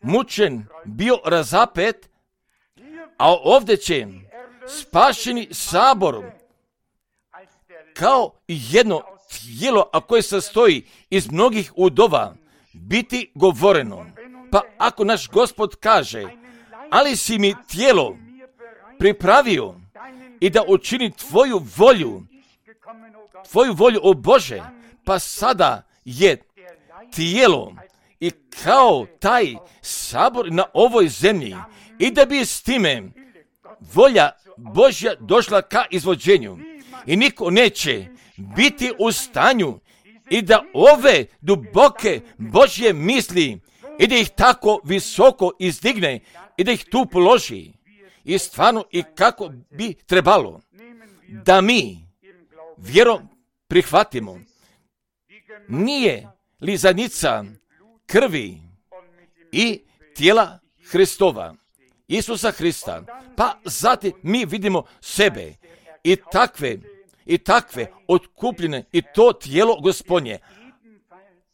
mučen, bio razapet, a ovdje će spašeni sabor kao jedno tijelo, a koje sastoji iz mnogih udova, biti govoreno. Pa ako naš Gospod kaže, ali si mi tijelo pripravio i da učini tvoju volju, tvoju volju, o Bože, pa sada je tijelo i kao taj sabor na ovoj zemlji, i da bi s time volja Božja došla ka izvođenju. I niko neće biti u stanju i da ove duboke Božje misli i da ih tako visoko izdigne i da ih tu položi. I stvarno i kako bi trebalo da mi vjerom prihvatimo. Nije li zajednica krvi i tijela Hristova, Isusa Hrista? Pa zatim mi vidimo sebe i takve i takve otkupljene i to tijelo Gospodnje,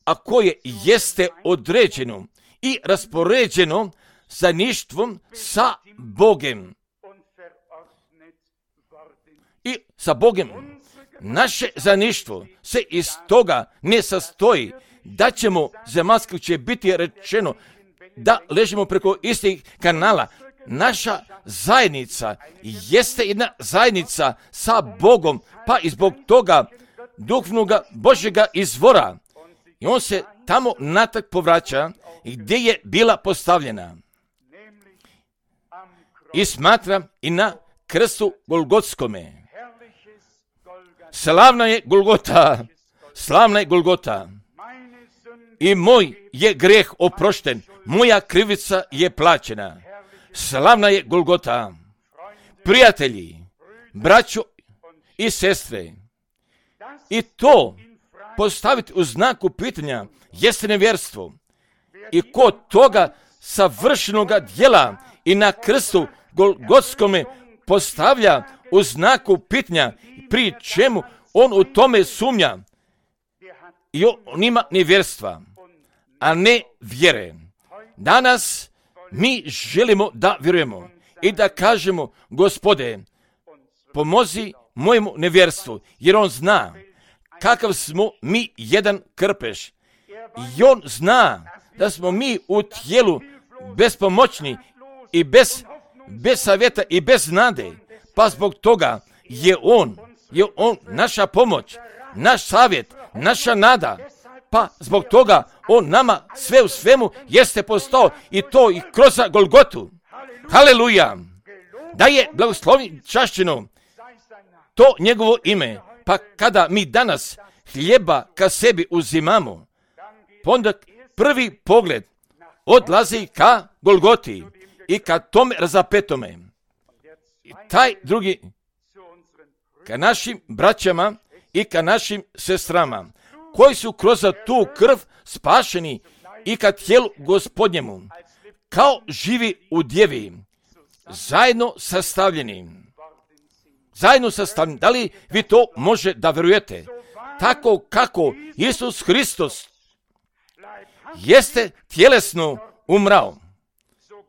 a koje jeste određeno i raspoređeno zajedništvom sa Bogem. I sa Bogem. Naše zajedništvo se iz toga ne sastoji da ćemo, zemaljski će biti rečeno, da ležimo preko istih kanala. Naša zajednica jeste jedna zajednica sa Bogom, pa i zbog toga duhovnoga Božjega izvora. I on se tamo natrag povraća gdje je bila postavljena. I smatram i na krstu Golgotskome. Slavna je Golgota, slavna je Golgota. I moj je grijeh oprošten, moja krivica je plaćena. Slavna je Golgota. Prijatelji, braćo i sestre, i to postaviti u znaku pitanja jeste nevjerstvo. I kod toga savršenoga djela i na krstu Golgotskome postavlja u znaku pitanja, pri čemu on u tome sumnja. I on ima nevjerstva, a ne vjere. Danas mi želimo da vjerujemo i da kažemo, Gospode, pomozi mojemu nevjerstvu, jer on zna kakav smo mi jedan krpeš. I on zna da smo mi u tijelu bespomoćni i bez, bez savjeta i bez nade. Pa zbog toga je on, je on naša pomoć, naš savjet, naša nada. Pa zbog toga on nama sve u svemu jeste postao i to i kroz Golgotu. Haleluja! Da je blagoslovni čašćeno to njegovo ime. Pa kada mi danas hljeba ka sebi uzimamo, onda prvi pogled odlazi ka Golgoti i ka tome razapetome. I taj drugi ka našim braćama i ka našim sestrama, koji su kroz tu krv spašeni i ka tijelu Gospodnjemu, kao živi u djevi, zajedno sastavljeni. Zajedno sastavljeni. Da li vi to može da vjerujete? Tako kako Isus Hristos jeste tjelesno umrao,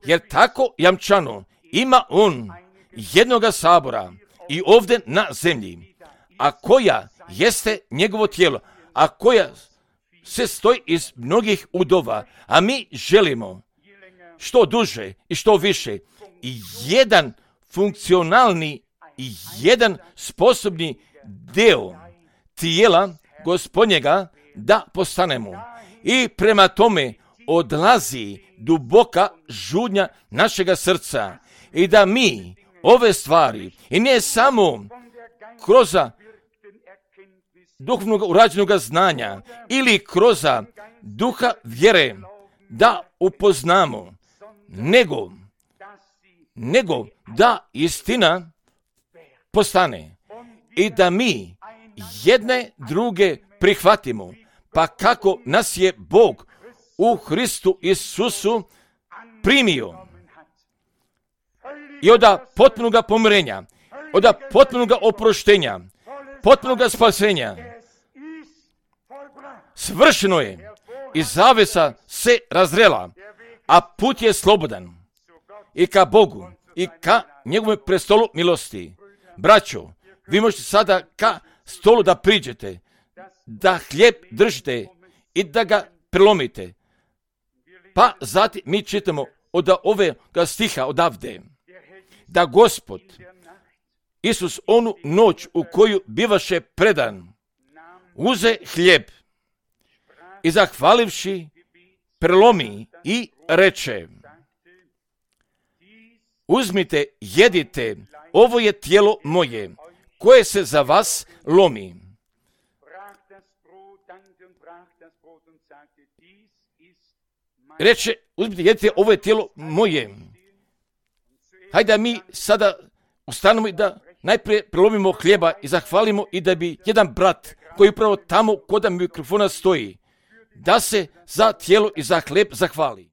jer tako jamčano ima on jednoga sabora i ovdje na zemlji, a koja jeste njegovo tijelo, a koja se stoji iz mnogih udova, a mi želimo što duže i što više i jedan funkcionalni jedan sposobni deo tijela Gospodnjega da postanemo. I prema tome odlazi duboka žudnja našega srca i da mi ove stvari, i ne samo kroz duhovnog urađenog znanja ili kroz duha vjere da upoznamo, nego, nego da istina postane i da mi jedne druge prihvatimo, pa kako nas je Bog u Hristu Isusu primio. I od potpunog pomirenja, od potpunog oproštenja, potpunog spasenja, svršeno je i zavesa se razrela, a put je slobodan i ka Bogu i ka njegovom prestolu milosti. Braćo, vi možete sada ka stolu da priđete, da hljeb držite i da ga prelomite. Pa zatim mi čitamo od ovoga stiha odavde, da Gospod Isus onu noć u koju bivaše predan, uze hljeb i zahvalivši prelomi i reče: uzmite, jedite, ovo je tijelo moje, koje se za vas lomi. Reče, uzmite, jedite, ovo je tijelo moje. Hajde da mi sada ustanemo i da najprije prelomimo hljeba i zahvalimo i da bi jedan brat koji upravo tamo kod mikrofona stoji, da se za tijelo i za hljeb zahvali.